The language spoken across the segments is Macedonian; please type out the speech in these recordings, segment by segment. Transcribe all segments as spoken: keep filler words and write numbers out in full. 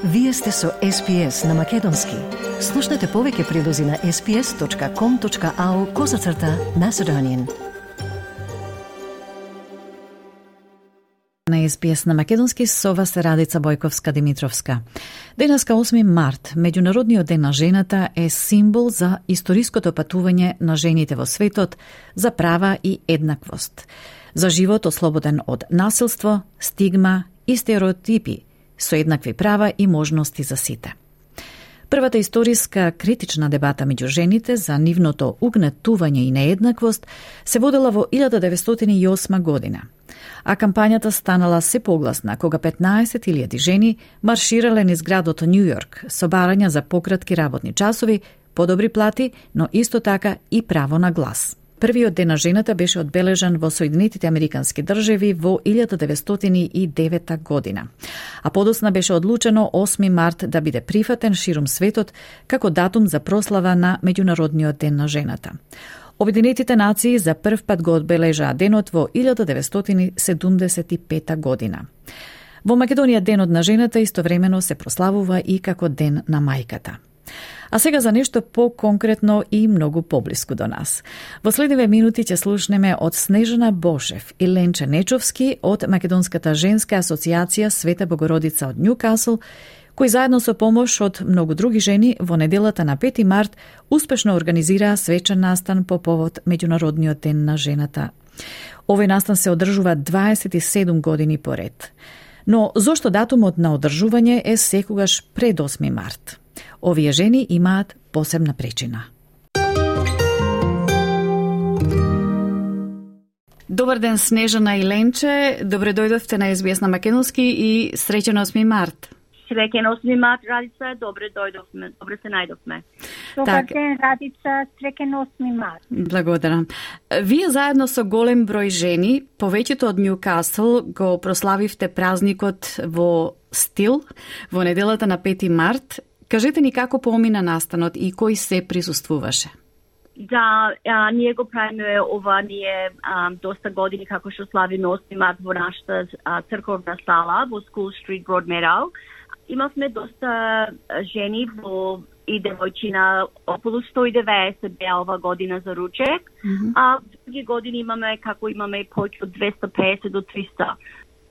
Вие сте со Ес Би Ес на Македонски. Слушнете повеќе прилози на ес би ес точка ком точка ау козацрта Macedonian. На Ес Би Ес на Македонски со вас е Радица Бојковска-Димитровска. Денеска осми март, Меѓународниот ден на жената, е символ за историското патување на жените во светот за права и еднаквост, за живот ослободен од насилство, стигма и стереотипи, со еднакви права и можности за сите. Првата историска критична дебата меѓу жените за нивното угнетување и нееднаквост се водела во илјада деветстотини и осма година, а кампањата станала се погласна кога петнаесет илјади жени марширале низ градот Нју Јорк со барања за пократки работни часови, подобри плати, но исто така и право на глас. Првиот ден на жената беше одбележан во Соединетите Американски држави во илјада деветстотини и девета година, а подосна беше одлучено осми март да биде прифатен ширум светот како датум за прослава на Меѓународниот ден на жената. Обединетите нации за прв пат го одбележаа денот во илјада деветстотини седумдесет и пета година. Во Македонија денот на жената истовремено се прославува и како ден на мајката. А сега за нешто по-конкретно и многу поблиску до нас. Во следниве минути ќе слушнеме од Снежана Бошев и Ленче Нечовски од Македонската женска асоциација Света Богородица од Њукасл, кои заедно со помош од многу други жени во неделата на пети март успешно организираа свечен настан по повод Меѓународниот ден на жената. Овој настан се одржува дваесет и седум години поред. Но зошто датумот на одржување е секогаш пред осми март? Овие жени имаат посебна причина. Добар ден, Снежана и Ленче. Добре дојдовте на Ес Би Ес на Македонски и среќен осми март. Среќен осми март, Радица, добре дојдовме, добре се најдовме. Добар ден, Радица, среќен осми март. Благодарам. Вие заедно со голем број жени, повеќето од Њукасл, го прославивте празникот во стил во неделата на пети март. Кажете ни како помина настанот и кој се присуствуваше? Да, а, ние го правиме ова ние а, доста години како што славиме осми март во нашата а, црковна сала во School Street Broadmeadow. Имавме доста жени во и девојчина, околу сто и деветдесет беа ова година за ручек, mm-hmm. а други години имаме како имаме повеќе од двесте и песет до триста.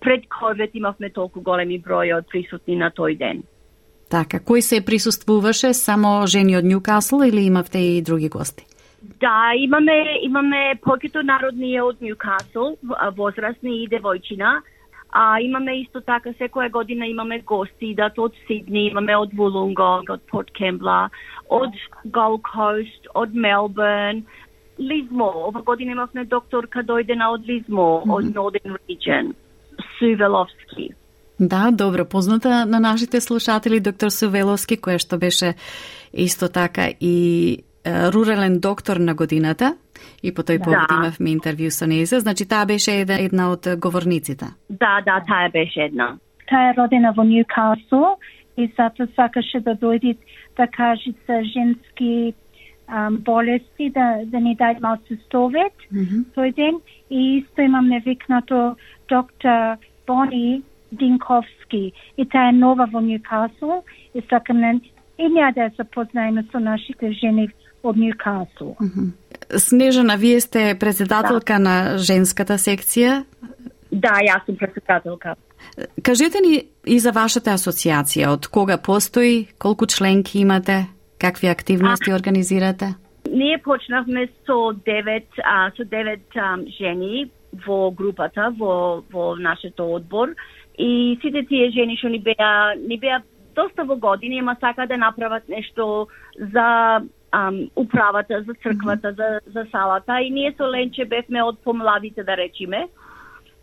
Пред ковид имавме толку големи број од присутни на тој ден. Така, кој се присуствуваше? Само жени од Њукасл или имавте и други гости? Да, имаме имаме повеќето народни од Њукасл, возрастни и девојчина. А имаме исто така секоја година имаме гости, идат од Сидни, имаме од Вулунгонг, од Порт Кембла, од Gold Coast, од Мелбурн, Лизмо. Ова година имавме докторка дојдена од Лизмо, mm-hmm. од Northern Region, Су Веловски. Да, добро позната на нашите слушатели доктор Су Веловски, која што беше исто така и е, рурален доктор на годината. И по тој повод да. Имавме интервју со неја. Значи, таа беше една, една од говорниците. Да, да, таа беше една. Таа е родена во Њукасл и затоа сакаше да дојде да каже за женски um, болести, да, да ни даде малку совет mm-hmm. тој ден. И исто имаме викнато доктор Бони Динковски. И таа е нова во Њукасл и сакаме и ние да запознаеме со нашите жени од Њукасл. Mm-hmm. Снежана, вие сте председателка да. На женската секција? Да, јас сум председателка. Кажете ни и за вашата асоциација, од кога постои, колку членки имате, какви активности а, организирате? Ние почнавме со девет, а, со девет а, жени во групата, во, во нашето одбор и сите тие жени што ни беа, ни беа доста во години, ама сака да направат нешто за Um, управата, за црквата, mm-hmm. за, за салата и ние со Ленче бевме од помладите, да речиме,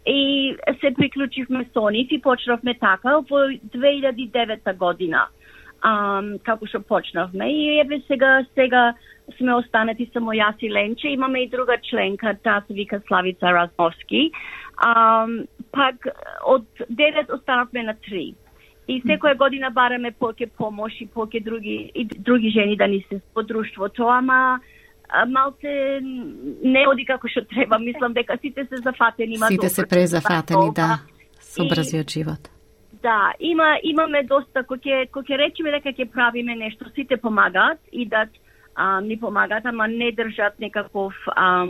и се приклучивме со нив и почнавме така во две илјади и девета година, um, како што почнавме и еве сега сега сме останати само јас и Ленче, имаме и друга членка, таа се вика Славица Разновски, um, пак од девет останавме на три. И секоја година бараме повеќе помош и повеќе други и други жени да ни се во друштвото, ама малце не оди како што треба. Мислам дека сите се зафатени. Сите се презафатени, да, со брзиот живот. Да, има имаме доста кој ќе кој ќе речеме дека ќе правиме нешто, сите помагаат и да а, ни помагаат, ама не држат некаков а,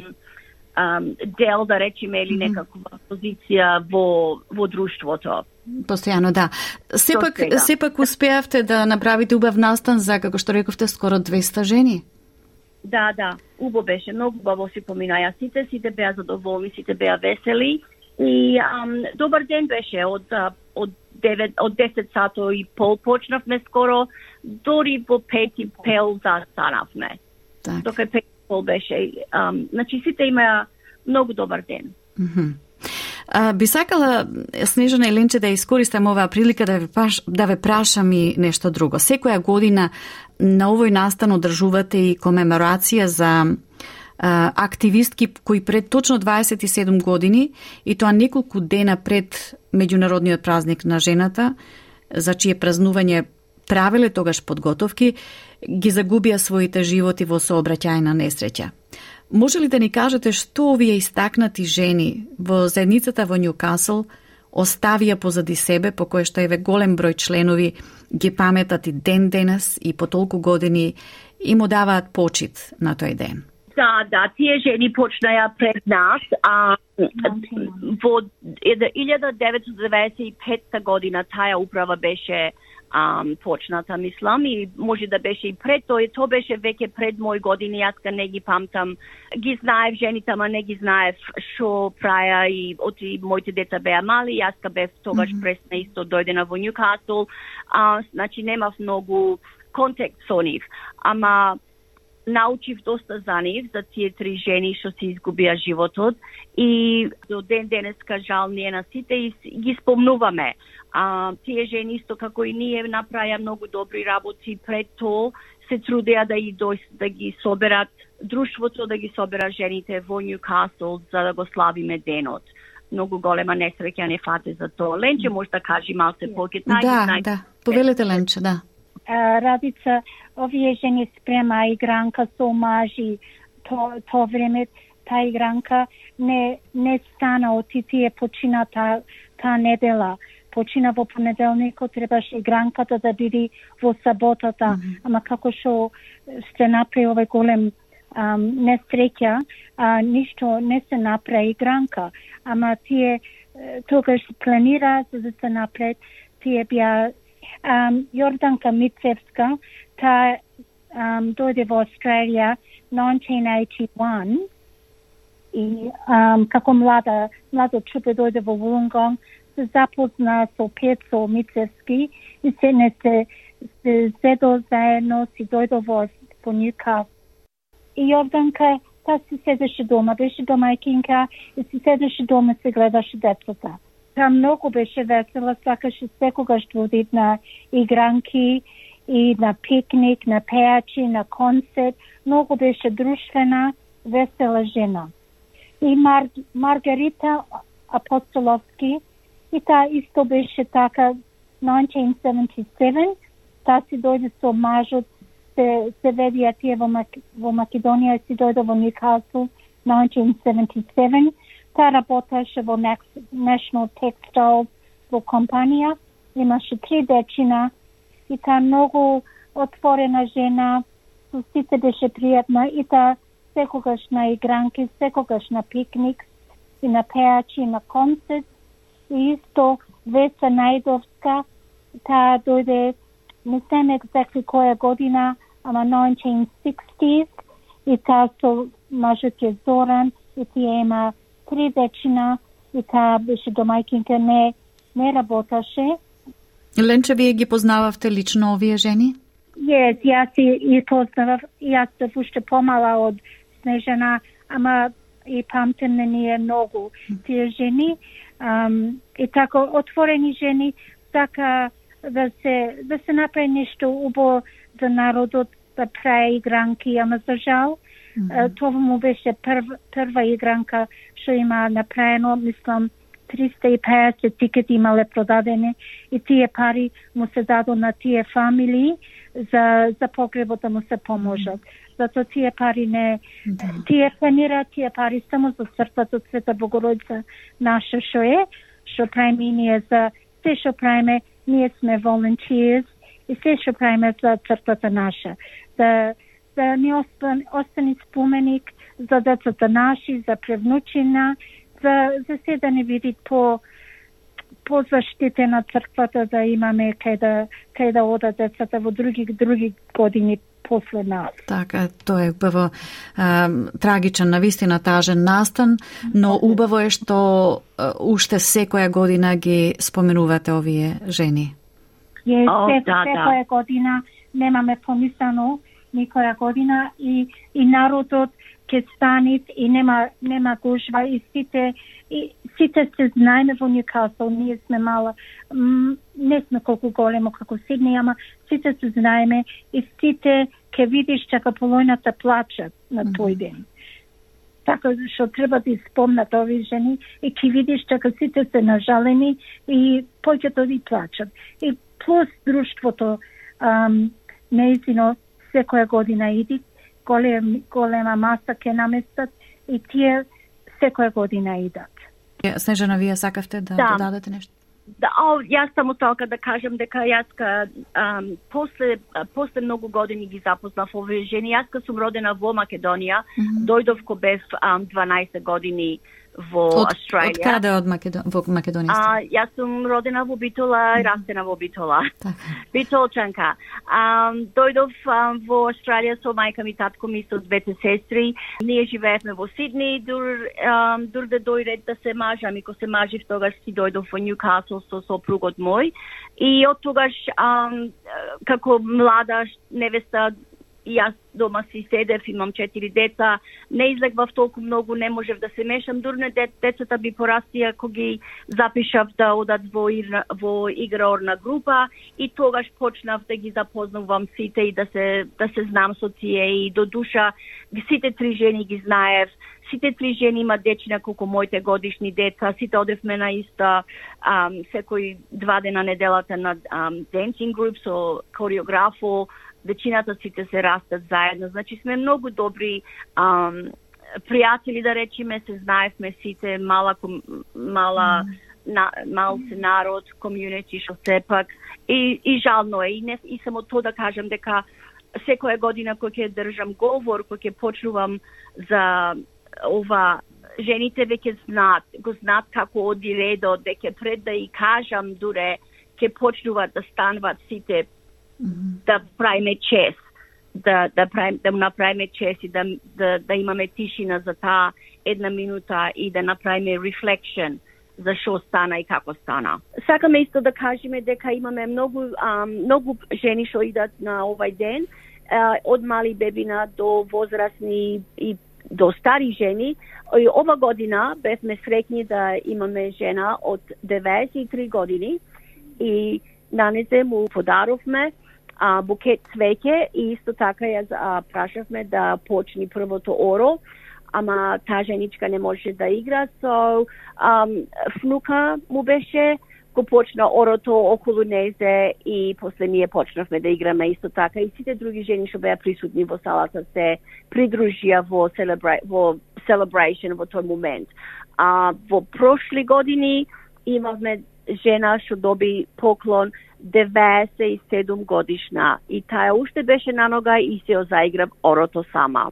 а, дел, да речеме, или некаква позиција во во друштвото. Постојано, да. Сепак сепак успеавте да направите убав настан за, како што рековте, скоро двеста жени. Да, да, убаво беше, многу убаво си поминаја сите, сите беа задоволни, сите беа весели и ам, добар ден беше од од девет од десет сато и пол почнавме скоро, дори во пет и пел застанавме. Так. Дока пет и пол беше, ам, значи сите имаа многу добар ден. Mm-hmm. А, би сакала, Снежана и Ленче, да искористам оваа прилика да ве, паш, да ве прашам и нешто друго. Секоја година на овој настан одржувате и комеморација за а, активистки кои пред точно дваесет и седум години, и тоа неколку дена пред меѓународниот празник на жената, за чие празнување правеле тогаш подготовки, ги загубија своите животи во сообраќајна несреќа. Може ли да ни кажете што овие истакнати жени во заедницата во Њукасл оставија позади себе, по кое што еве голем број членови ги паметат и ден денес и по толку години и му даваат почит на тој ден? Да, да, тие жени почнаја пред нас, а во илјада деветстотини деваесет и петта година таа управа беше Um, почната, мислам, и може да беше и пред тој, то беше веќе пред мои години, јас ка не ги памтам, ги знаев жените, ама не ги знаев шо праја и оти моите деца беа мали, јас ка бев тогаш mm-hmm. пресна исто дојдена во Њукасл, а, значи немав многу контакт со нив, ама научив доста за нив, за тие три жени што си изгубија животот и до ден денеска жал ние на сите и ги спомнуваме. А, тие жени исто како и ние направија многу добри работи пред тоа, се трудеа да, и дој, да ги соберат друштвото, да ги соберат жените во Њукасл за да го славиме денот. Многу голема несреќа не фате за тоа. Ленче може да кажи малце повеќе. Да, знај... да. Повелете, Ленче, да. Uh, Радица, овие жени спрема игранка со мажи, то, то време та игранка не, не стана од тие почина та, та недела. Почина во понеделникот, требаше игранката да биде во саботата, mm-hmm. ама како што се направи овој голем um, несреќа, а, ништо не се направи игранка, ама тие тогаш планира за да се напред, тие беа Um, Јорданка Мицевска, та um, дојде во Австралија nineteen eighty-one и um, како млада, младо чупе дојде во Вулунгонг, се запозна со Пецо Мицевски и се не се, се седо заедно, си дојдо во, во Њукасл. И Јорданка, та си седеше дома, беше домајкинка и си седеше дома и се гледаше децата. Та многу беше весела, сакаше секогаш водит на игранки и на пикник, на пејачи, на концерт. Многу беше друштвена, весела жена. И Мар... Маргарита Апостоловски, и таа исто беше така nineteen seventy-seven, таа си дојде со мажот, се, се ведија тие во, Мак... во Македонија, си дојде во Њукасл nineteen seventy-seven. Таа работеше во National Textiles во компанија, имаше три дечина и таа многу отворена жена, со сите беше пријатна и таа секогаш на игранки, секогаш на пикник и на пејачи и на концерт. И исто Веса Најдовска, таа дојде, не знам екзактно која година, ама nineteen sixties, и таа со мажот е Зоран, и тие има три дечина и таа беше домајкинка, не, не работеше. Ленче, вие ги познававте лично овие жени? Yes, јас и, и познавав, јас се уште помала од Снежана, ама и памтим на ние многу тие жени. Um, и тако отворени жени, така да се, да се направи нешто убаво за народот, да прави игранки, ама за жал, Mm-hmm. Това му беше прв, прва игранка што има направено, мислам, триста и петдесет тикети имале продадени и тие пари му се дадо на тие фамилии за, за погребот да му се поможат. Зато тие пари не... Mm-hmm. Тие планираат тие пари само за црквата Света Богородица наша што е, што прави ние за се што правиме, ние сме volunteers и се што правиме за црквата наша. Да, да ни остан, остани споменик за децата наши, за превнучина, за, за се да не види по по заштитена црквата, да имаме кај да, кај да одат децата во други други години после нас. Така, тоа е убаво, а, трагичен, навистина тажен настан, но убаво е што а, уште секоја година ги споменувате овие жени. Е, О, се, да, секоја да. година немаме помислено никоја година и, и народот ќе станит и нема нема гужва и сите и сите се знаеме во Ньюкасл, ние сме мала, м, не сме колку големо како Сидни, ама сите се знаеме и сите ќе видиш дека полојната плачат на тој ден. Така што треба да испомнат овие жени и ќе видиш дека сите се нажалени и повеќето ви плачат. И плюс друштвото ам, неизино секоја година иди, голем, голема маса ќе наместат и тие секоја година идат. Снежана, вие сакавте да Да. додадете нешто? Да, о, јас само тока да кажам дека јас ка, ам, после, после многу години ги запознав овие жени. Јас ка сум родена во Македонија, mm -hmm. дојдов ко бев ам, дванаесет години во Од, Австралија. од каде од Македон... во Македонија? А, јас сум родена во Битола и растена во Битола. Така. Битолчанка. Um, дојдов um, во Австралија со мајка ми, татко ми, со двете сестри. Ние живеевме во Сидни, дур, um, дур да дојде да се мажам и ко се мажив, тогаш си дојдов во Ньюкасл со сопругот мој. И од тогаш, um, како млада невеста, и јас дома си седев, имам четири деца, не излегвав толку многу, не можев да се мешам, дурне децата би порастија кога ги запишав да одат во, во играорна група и тогаш почнав да ги запознавам сите и да се, да се знам со тие и до душа сите три жени ги знаев. Сите три жени имат дечина колку моите годишни деца, сите одевме на иста ам, секој два дена неделата на ам, dancing group со кореографо. Вечината сите се растат заедно. Значи сме многу добри ам, пријатели, да речеме, се знаевме сите, мала, мала mm. на, мал се народ, комјунити, што сепак. И, и жално е. И, не, и само то да кажам дека секоја година кој ќе држам говор, кој ќе почнувам за ова, жените веќе знаат, го знаат како оди редот, дека пред да и кажам дуре, ќе почнуваат да стануваат сите да правиме чест, да да правим да направиме чест и да да да имаме тишина за таа една минута и да направиме reflection за што стана и како стана. Сакаме исто да кажеме дека имаме многу а, многу жени што идат на овај ден, а, од мали бебина до возрастни и до стари жени. И ова година бевме среќни да имаме жена од деветдесет и три години и на незе му подаровме а, букет цвеќе и исто така ја а, прашавме да почни првото оро, ама таа женичка не може да игра, so um, внука му беше, го почна орото околу незе и после ние почнавме да играме исто така и сите други жени што беа присутни во салата се придружија во, celebra во celebration во тој момент. А, во прошли години имавме жена што доби поклон деветдесет и седум годишна и таа уште беше на нога и се заигра орото сама.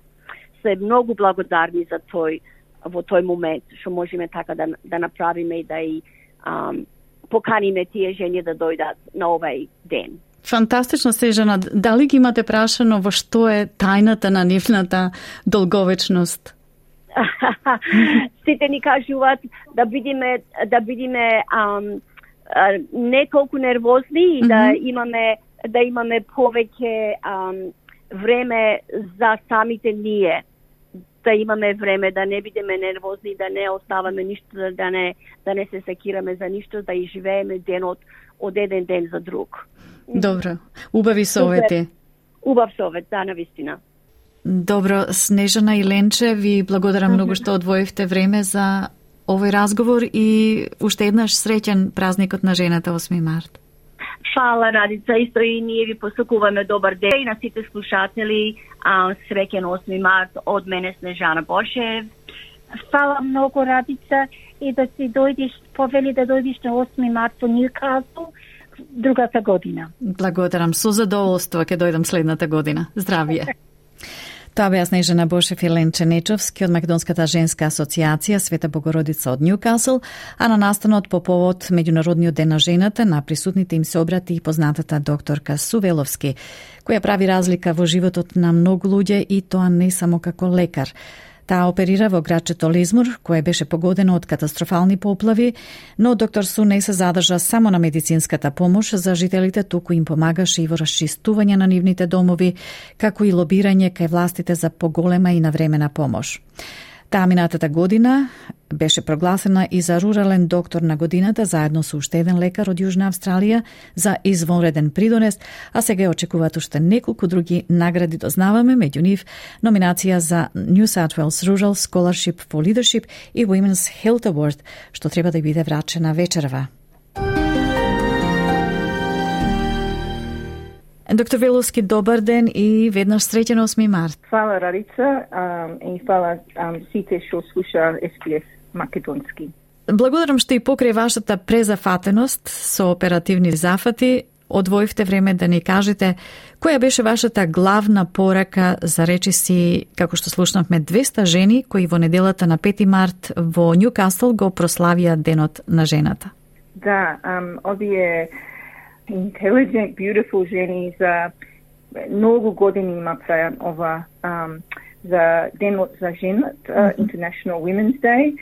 Се многу благодарни за тој во тој момент што можеме така да да направиме и да и um, поканиме тие жени да дојдат на овај ден. Фантастично, Снежана. Дали ги имате прашано во што е тајната на нивната долговечност? Сите ни кажуваат да бидиме да бидиме um, не толку нервозни и да mm -hmm. имаме да имаме повеќе um, време за самите ние, да имаме време да не бидеме нервозни, да не оставаме ништо, да не да не се секираме за ништо, да и живееме денот од еден ден за друг. Добро, убави совети. Убав совет, да, навистина. Добро, Снежана и Ленче, ви благодарам многу што одвоивте време за овој разговор и уште еднаш среќен празникот на жената осми март. Фала, Радица, исто и ние ви посакуваме добар ден и на сите слушатели, а, среќен осми март од мене Снежана Бошев. Фала многу, Радица, и да си дојдеш, повели да дојдеш на осми март во Ньюкасл другата година. Благодарам, со задоволство ќе дојдам следната година. Здравје. Тоа беа Снежана Бошев и Ленче Нечовски од Македонската женска асоциација Света Богородица од Ньюкасл, а на настанот по повод Меѓународниот ден на жената на присутните им се обрати и познатата докторка Сувеловски, која прави разлика во животот на многу луѓе и тоа не само како лекар. Таа оперира во градчето Лизмур, кое беше погодено од катастрофални поплави, но доктор Су не се задржа само на медицинската помош за жителите, туку им помагаше и во расчистување на нивните домови, како и лобирање кај властите за поголема и навремена помош. Таа минатата година беше прогласена и за рурален доктор на годината, заедно со уште еден лекар од Јужна Австралија за извонреден придонес, а сега очекуваат уште неколку други награди, дознаваме, меѓу нив номинација за New South Wales Rural Scholarship for Leadership и Women's Health Award, што треба да биде врачена вечерва. Доктор Веловски, добар ден и веднаш среќен осми март. Фала, Радица, um, и фала um, сите што слуша Ес Пи Ес Македонски. Благодарам што и покрај вашата презафатеност со оперативни зафати, одвоивте време да ни кажете која беше вашата главна порака за речиси, како што слушнавме, двеста жени кои во неделата на пети март во Ньюкасл го прославија Денот на жената. Да, um, овие intelligent, beautiful жени за многу години има прајан ова um, за Денот за женат, uh, International Women's Day,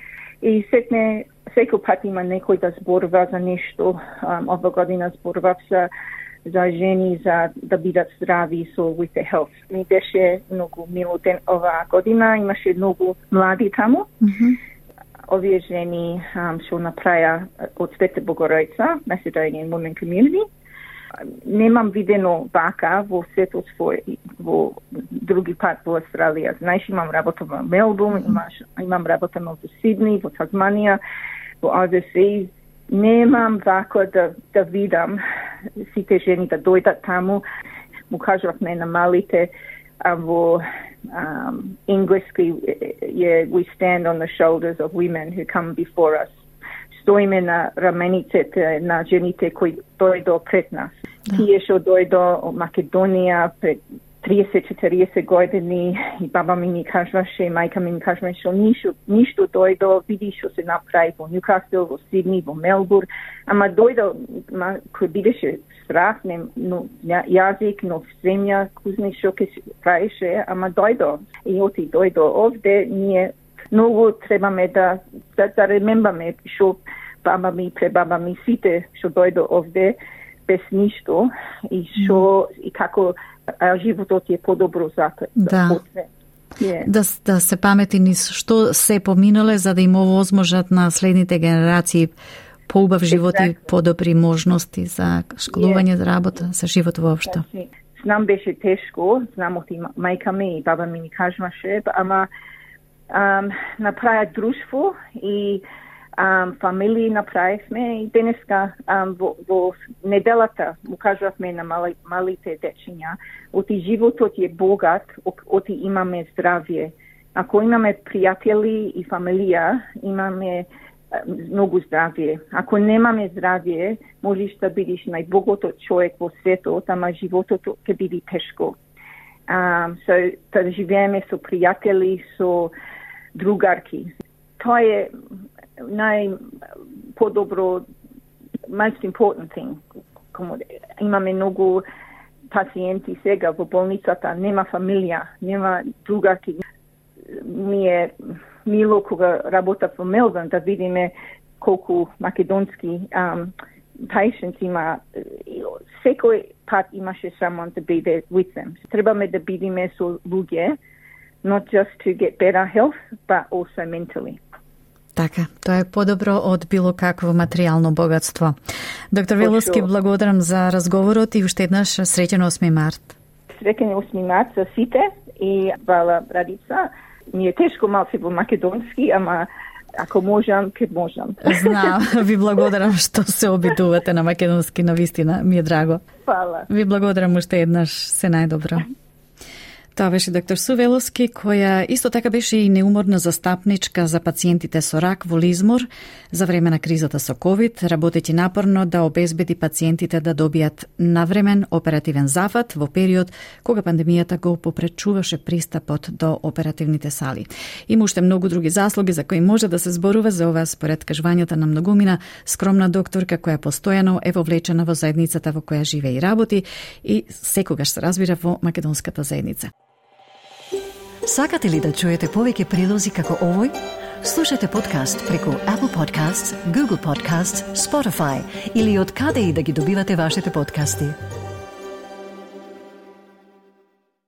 и сетне секој пат има некој да зборува за нешто. Um, ова година зборував за, за жени за да бидат здрави со with the health. Ми беше многу мило ден ова година, имаше многу млади таму. Mm-hmm. Овие жени um, што направија од Света Богородица, Macedonian Women Community. Немам видено вака во светот во, во други пат во Австралија. Знаеш, имам работа во Мелбурн, имаш, имам работа во Сидни, во Тазманија, во Overseas. Немам вака да, да видам сите жени да дојдат таму. Му кажавме на малите а, во um, Englishki, yeah, we stand on the shoulders of women who come before us. Стоиме на рамениците на жените кои дојдо пред нас. Да. Тие што дојдо од Македонија пред триесет четириесет години и баба ми ни кажуваше, мајка ми ни кажуваше, што ништо, ништо дојдо, види што се направи во Ньюкасл, во Сидни, во Мелбурн, ама дојдо, ма, кој бидеше страх, не, но, јазик, но земја, кузни што ке се правеше, ама дојдо. И оти дојдо овде, ние многу требаме да, да, да ремембаме што баба ми, пребаба ми, сите што дојдо овде без ништо и што и како а, животот е подобро за да. Yeah. Да, да се памети низ што се поминале за да им овозможат на следните генерации поубав живот exactly. и подобри можности за школување, yeah. работа, за живот воопшто. Значи, знам беше тешко, знам оти мајка ми и баба ми ни кажуваше, ама Um, направи друштво и um, фамилии направивме и денеска um, во, во неделата му кажувавме на мали, малите дечиња, оти животот е богат, оти имаме здравје. Ако имаме пријатели и фамилија, имаме uh, многу здравје. Ако немаме здравје, можеш да бидеш најбогатот човек во светот, ама животот ќе биде тешко. Um, so, да живееме со пријатели, со другарки. Тоа е најподобро, most important thing. Имаме многу пациенти сега во болницата, нема фамилија, нема другарки. Ми е мило кога работа во Мелбурн да видиме колку македонски um, patients има. Секој пат имаше someone to be there with them. Требаме да бидеме со луѓе, not just to get better health, but also mentally. Така, тоа е подобро од било какво материјално богатство. Доктор Веловски, благодарам за разговорот и уште еднаш среќен осми март. Среќен осми март за сите и вала Радица. Ми е тешко малце во македонски, ама ако можам, ке можам. Знам, ви благодарам што се обидувате на македонски, навистина, ми е драго. Фала. Ви благодарам уште еднаш, се најдобро. Тоа беше доктор Су Веловски, која исто така беше и неуморна застапничка за пациентите со рак во Лизмор за време на кризата со ковид, работејќи напорно да обезбеди пациентите да добијат навремен оперативен зафат во период кога пандемијата го попречуваше пристапот до оперативните сали. Има уште многу други заслуги за кои може да се зборува, за ова според кажувањата на многумина скромна докторка која постојано е вовлечена во заедницата во која живее и работи и секогаш се разбира во македонската заедница. Сакате ли да чуете повеќе прилози како овој? Слушате подкаст преку Apple Podcasts, Google Podcasts, Spotify или од каде и да ги добивате вашите подкасти.